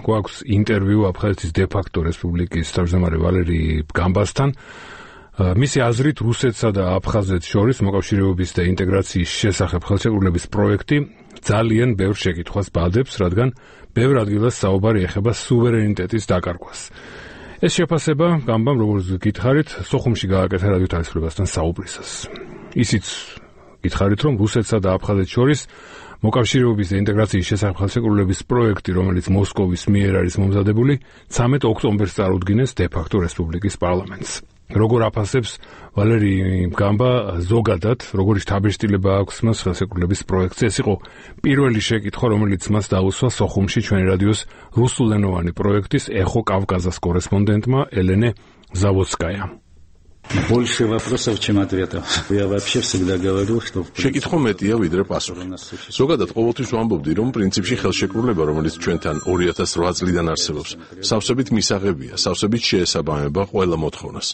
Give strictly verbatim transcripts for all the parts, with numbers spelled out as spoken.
გვაქვს ინტერვიუ აფხაზეთის დე-ფაქტო რესპუბლიკის თავმჯდომარე ვალერი გამბასთან. მისი აზრით რუსეთსა და აფხაზეთს შორის მოკავშირეობის და ინტეგრაციის შესახებ ხელშეკრულების პროექტი ძალიან ბევრ შეკითხვას ბადებს, რადგან ბევრ ადგილას საუბარი ეხება სუვერენიტეტის დაკარგვას. ეს შეფასება გამბამ, როგორც გითხარით, სოხუმში გააკეთა რადიო თავისუფლებასთან საუბრისას. ისიც გითხარით, რომ რუსეთსა და აფხაზეთს შორის მოკავშირეობის და ინტეგრაციის შესახებ ხელშეკრულების პროექტი, რომელიც მოსკოვის მიერ არის მომზადებული, ცამეტ ოქტომბერს წარუდგინეს დე-ფაქტო რესპუბლიკის პარლამენტს. როგორ აფასებს ვალერი გამბა ზოგადად, როგორი შთაბეჭდილება აქვს მას ხელშეკრულების პროექტზე? ეს იყო პირველი შეკითხვა, რომელიც მას დაუსვა სოხუმში ჩვენი რადიოს რუსულენოვანი პროექტის ეხო კავკაზას კორესპონდენტმა ელენე ზავოდსკაია. Больше вопросов, чем ответов. Я вообще всегда говорю, что შეკითხვა მეტია ვიდრე პასუხი. ზოგადად ყოველთვის ვამბობდი, რომ პრინციპში ხელშეკრულება, რომელიც ჩვენთან ორი ათას ოთხ წლიდან არსებობს, სავსებით მისაღებია, სავსებით შეესაბამება ყველა მოთხოვნას.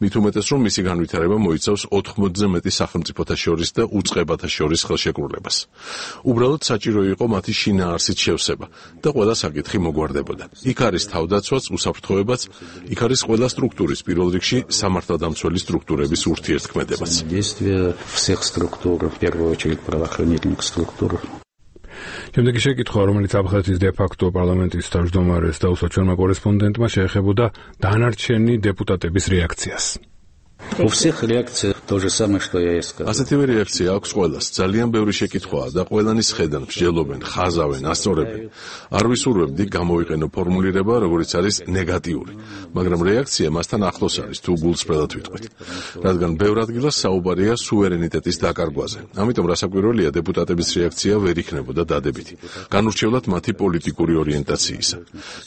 მით უმეტეს, რომ მისი განვითარება მოიცავს ოთხმოცზე მეტი სახელმწიფოთა შორის და უწყებათა შორის ხელშეკრულებას. უბრალოდ საჭირო იყო მათი შინაარსით შევსება და ყველა საკითხი მოგვარდებოდა. იქ არის თავდაცვაც, უსაფრთხოებაც, იქ არის ყველა სტრუქტურის, პირველ რიგში სამართალდამცველი დამცველი სტრუქტურების ურთიერთქმედებაც. Действия всех структур, в первую очередь правоохранительных структур. შემდეგი შეკითხვა, რომელიც აფხაზეთის დე-ფაქტო პარლამენტის თავმჯდომარეს დაუსვა ჩვენმა კორესპონდენტმა, შეეხებოდა დანარჩენი დეპუტატების რეაქციას. У всех реакция то же самое, что я и сказал. ასეთივე რეაქცია აქვს ყველას. ძალიან ბევრი შეკითხვაა და ყველანი სხედან, მსჯელობენ, ხაზავენ, ასწორებენ. არ ვისურვებდი გამოვიყენო ფორმულირება, როგორც არის ნეგატიური, მაგრამ რეაქცია მასთან ახლოს არის, თუ გულწრფელად ვიტყვით. რადგან ბევრ ადგილას საუბარია სუვერენიტეტის დაკარგვაზე. ამიტომ რასაკვირველია, დეპუტატების რეაქცია ვერ იქნებოდა დადებითი. განურჩევლად მათი პოლიტიკური ორიენტაციისა.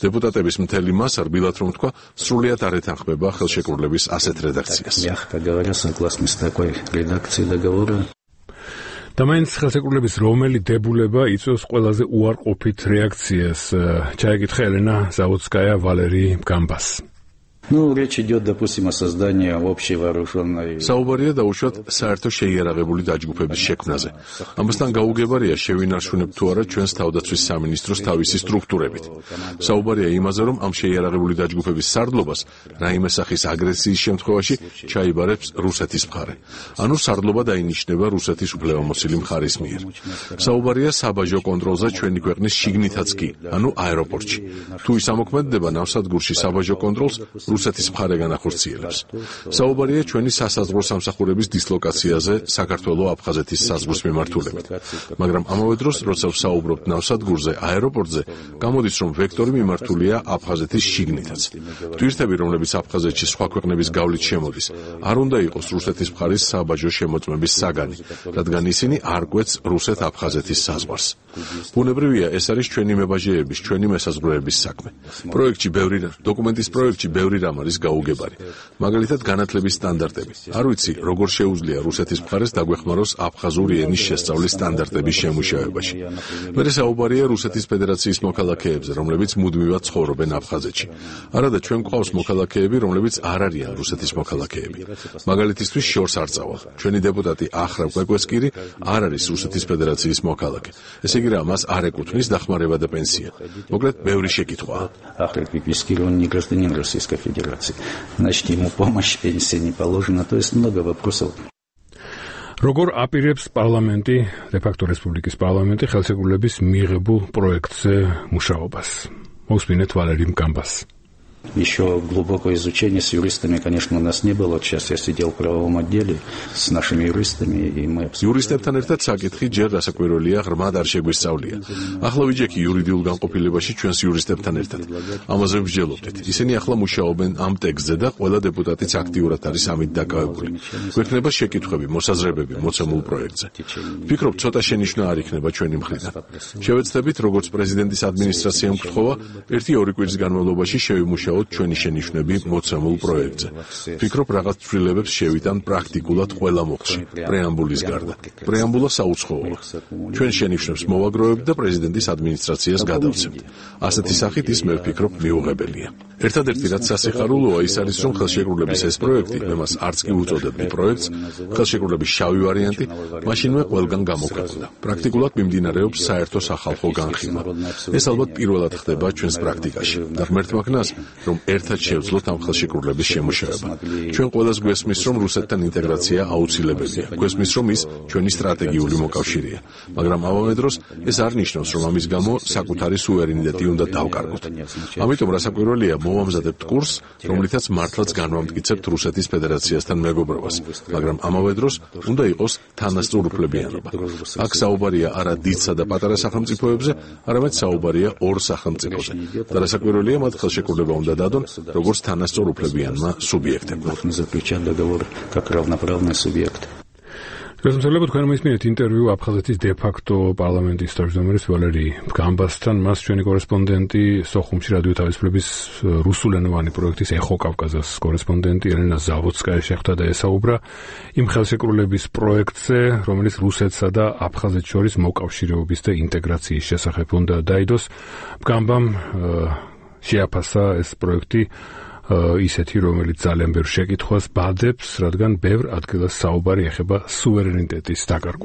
დეპუტატების მთელი მასა, რბილად რომ თქვა, სრულიად არ ეთანხმება ხელშეკრულების ასეთ რედაქციას. Мягко говоря, согласны с такой редакцией договора. და მაინც ხელშეკრულების რომელი დებულება იწვევს ყველაზე უარყოფით რეაქციას? ჩაეკითხა ელენა ზავოდსკაია ვალერი გამბას. Ну, речь идет, допустим, о создании общей вооруженной. საუბარია დაუშვათ საერთო შეიარაღებული დაჯგუფების შექმნაზე. ამასთან გაუგებარია შევინარჩუნებ თუ არა ჩვენს თავდაცვის სამინისტროს თავისი სტრუქტურებით. საუბარია იმაზე, რომ ამ შეიარაღებული დაჯგუფების სარდლობას რაიმე სახის აგრესიის შემთხვევაში ჩაიბარებს რუსეთის მხარე. ანუ სარდლობა დაინიშნება რუსეთის უფლებამოსილი მხარის მიერ. საუბარია საბაჟო კონტროლზე ჩვენი ქვეყნის შიგნითაც კი, ანუ აეროპორტში. თუ ის ამოქმედდება ნავსადგურში საბაჟო კონტროლს რუსეთის მხარე განახორციელებს. საუბარია ჩვენი სასაზღვრო სამსახურების დისლოკაციაზე საქართველო-აფხაზეთის საზღვრის მიმართულებით. მაგრამ ამავე დროს, როცა ვსაუბრობთ ნავსადგურზე, აეროპორტზე, გამოდის, რომ ვექტორი მიმართულია აფხაზეთის შიგნითაც. ტვირთები, რომლებიც აფხაზეთში სხვა ქვეყნების გავლით შემოდის, არ უნდა იყოს რუსეთის მხარის საბაჟო შემოწმების საგანი, რადგან ისინი არ კვეთს რუსეთ-აფხაზეთის საზღვარს. ბუნებრივია, ეს არის ჩვენი მებაჟეების, ჩვენი მესაზღვრეების საქმე. პროექტში ბევრი დოკუმენტის პროექტში ბევრი რამ არის გაუგებარი. მაგალითად, განათლების სტანდარტები. არ ვიცი, როგორ შეუძლია რუსეთის მხარეს დაგვეხმაროს აფხაზური ენის შესწავლის სტანდარტების შემუშავებაში. მერე საუბარია რუსეთის ფედერაციის მოქალაქეებზე, რომლებიც მუდმივად ცხოვრობენ აფხაზეთში. არადა ჩვენ გვყავს მოქალაქეები, რომლებიც არ არიან რუსეთის მოქალაქეები. მაგალითისთვის შორს არ წავალ. ჩვენი დეპუტატი ახრა კვეკვესკირი არ არის რუსეთის ფედერაციის მოქალაქე. ესე იგი რა, მას არ ეკუთვნის დახმარება და პენსია. მოკლედ, ბევრი შეკითხვაა. Ахрак Კვეკვესკირი, он не гражданин Российской Федерации. Значит, ему помощь, пенсия не положена. То есть много вопросов. როგორ აპირებს პარლამენტი, დე-ფაქტო რესპუბლიკის პარლამენტი ხელშეკრულების მიღებულ პროექტზე მუშაობას? მოვსმინეთ ვალერი გამბას. Еще глубокое изучение с юристами, конечно, у нас не было. Вот сейчас я сидел в правовом отделе с нашими юристами, и мы обсуждали. Юристებთან ერთად საკითხი ჯერ რასაკვირველია ღრმად არ შეგვისწავლია. ახლა ვიჯექი იურიდიულ განყოფილებაში ჩვენს იურისტებთან ერთად. ამაზე ვსჯელობდით. ისინი ახლა მუშაობენ ამ ტექსტზე და ყველა დეპუტატიც აქტიურად არის ამით დაკავებული. გვექნება შეკითხვები, მოსაზრებები მოცემულ პროექტზე. ვფიქრობ, ცოტა შენიშვნა არ იქნება ჩვენი მხრიდან. შევეცდებით, როგორც პრეზიდენტის ადმინისტრაციამ გთხოვა, ერთი-ორი კვირის განმავლობაში შევიმუშავოთ ჩვენი შენიშვნები მოცემულ პროექტზე. ვფიქრობ, რაღაც ცვლილებებს შევიტან პრაქტიკულად ყველა მოხში, პრეამბულის გარდა. პრეამბულა საუცხოოა. ჩვენ შენიშვნებს მოვაგროვებთ და პრეზიდენტის ადმინისტრაციას გადავცემთ. ასეთი სახით ის მე ვფიქრობ მიუღებელია. ერთადერთი რაც სასიხარულოა ის არის რომ ხელშეკრულების ეს პროექტი მე მას არც კი უწოდებდი პროექტს ხელშეკრულების შავი ვარიანტი მაშინვე ყველგან გამოქვეყნდა პრაქტიკულად მიმდინარეობს საერთო სახალხო განხილვა ეს ალბათ პირველად ხდება ჩვენს პრაქტიკაში და ღმერთმა ქნას რომ ერთად შევძლოთ ამ ხელშეკრულების შემუშავება ჩვენ ყველას გვესმის რომ რუსეთთან ინტეგრაცია აუცილებელია გვესმის რომ ის ჩვენი სტრატეგიული მოკავშირეა მაგრამ ამავე დროს ეს არ ნიშნავს რომ ამის გამო საკუთარი სუვერენიტეტი უნდა დავკარგოთ ამიტომ რასაკვირველია მოვამზადებთ კურსს რომლითაც მართლაც განვამტკიცებთ რუსეთის ფედერაციასთან მეგობრობას მაგრამ ამავე დროს უნდა იყოს თანასწორუფლებიანობა აქ საუბარია არა დიდსა და პატარა სახელმწიფოებზე არამედ საუბარია ორ სახელმწიფოზე და რასაკვირველია მათ ხელშეკრულება უნდა დადონ როგორც თანასწორუფლებიანმა სუბიექტებმა გასამართლებლად თქვენ მისმინეთ ინტერვიუ აფხაზეთის დე-ფაქტო პარლამენტის თავმჯდომარის ვალერი გამბასთან მას ჩვენი კორესპონდენტი სოხუმში რადიო თავისუფლების რუსულენოვანი პროექტის ეხო კავკაზას კორესპონდენტი ელენა ზავოდსკაია შეხვდა და ესაუბრა იმ ხელშეკრულების პროექტზე რომელიც რუსეთსა და აფხაზეთს შორის მოკავშირეობის და ინტეგრაციის შესახებ უნდა დაიდოს გამბამ შეაფასა ეს პროექტი ისეთი რომელიც ძალიან ბევრ შეკითხვას ბადებს რადგან ბევრ ადგილას საუბარი ეხება სუვერენიტეტის დაკარგვას